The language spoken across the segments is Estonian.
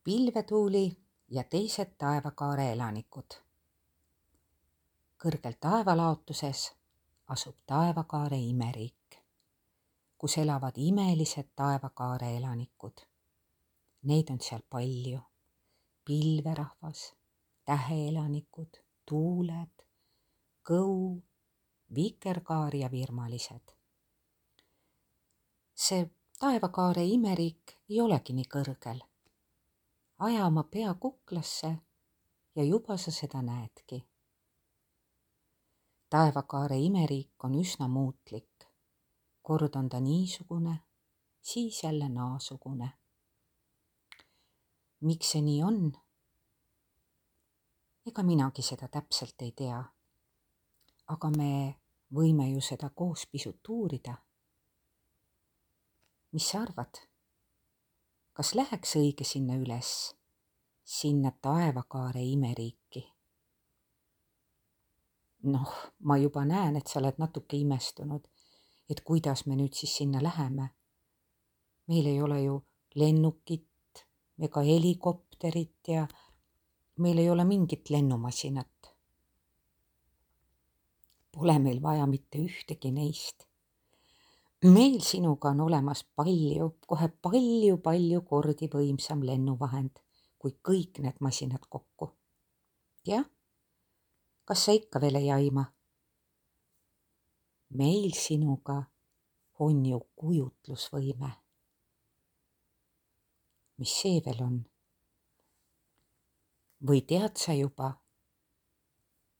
Pilvetuuli ja teised taevakaare elanikud. Kõrgel taevalaotuses asub taevakaare imeriik, kus elavad imelised taevakaare elanikud. Neid on seal palju. Pilverahvas, täheelanikud, tuuled, kõu, vikerkaar ja virmalised. See taevakaare imeriik ei olegi nii kõrgel. Aja oma pea kuklasse ja juba sa seda näedki. Taevakaare imeriik on üsna muutlik. Kord on ta niisugune, siis jälle naasugune. Miks see nii on? Ega minagi seda täpselt ei tea. Aga me võime ju seda koos pisut uurida. Mis sa arvad? Kas läheks õige sinna üles, sinna taevakaare imeriiki? Ma juba näen, et sa oled natuke imestunud, et kuidas me nüüd siis sinna läheme. Meil ei ole ju lennukit ega helikopterit ja meil ei ole mingit lennumasinat. Pole meil vaja mitte ühtegi neist. Meil sinuga on olemas kohe palju kordi võimsam lennuvahend kui kõik need masinad kokku. Jah, kas sa ikka veel ei aima? Meil sinuga on ju kujutlusvõime. Mis see veel on? Või tead sa juba?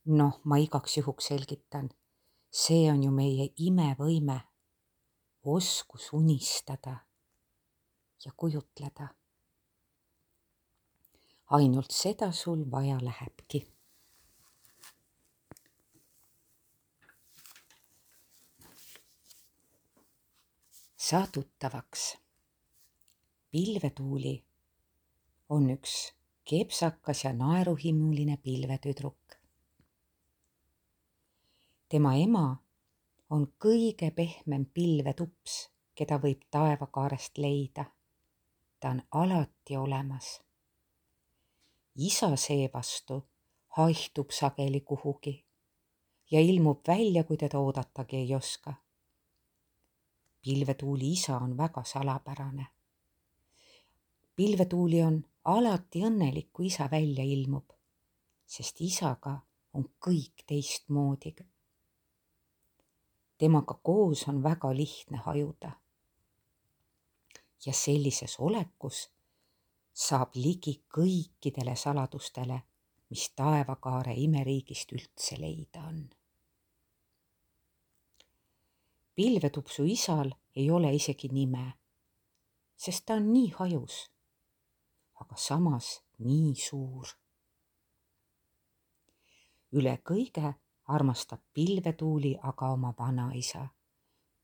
Ma igaks juhuks selgitan. See on ju meie imevõime. Oskus unistada ja kujutleda. Ainult seda sul vaja lähebki. Saa tuttavaks. Pilvetuuli on üks kepsakas ja naeruhimuline pilvetüdruk. Tema ema on kõige pehmem pilvetups, keda võib taevakaarest leida. Ta on alati olemas. Isa seevastu haihtub sageli kuhugi ja ilmub välja, kui teda oodatagi ei oska. Pilvetuuli isa on väga salapärane. Pilvetuuli on alati õnnelik, kui isa välja ilmub, sest isaga on kõik teistmoodi. Temaga koos on väga lihtne hajuda. Ja sellises olekus saab ligi kõikidele saladustele, mis taevakaare imeriigist üldse leida on. Pilvetupsu isal ei ole isegi nime, sest ta on nii hajus, aga samas nii suur. Üle kõige armastab pilvetuuli aga oma vanaisa,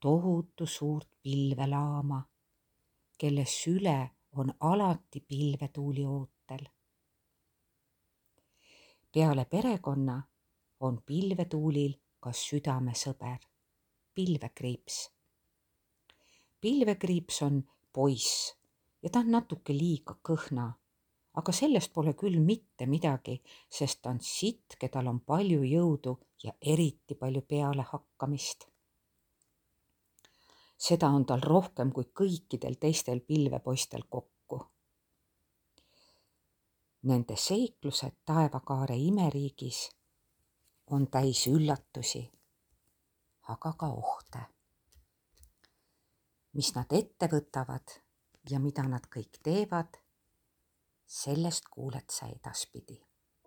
tohutu suurt pilvelaama, kelle süle on alati pilvetuuli ootel. Peale perekonna on pilvetuulil ka südamesõber, pilvekriips. Pilvekriips on poiss ja ta on natuke liiga kõhna, aga sellest pole küll mitte midagi, sest ta on sitke, tal on palju jõudu ja eriti palju pealehakkamist. Seda on tal rohkem kui kõikidel teistel pilvepoistel kokku. Nende seiklused taevakaare imeriigis on täis üllatusi, aga ka ohte. Mis nad ette võtavad ja mida nad kõik teevad, sellest kuuled sa edaspidi.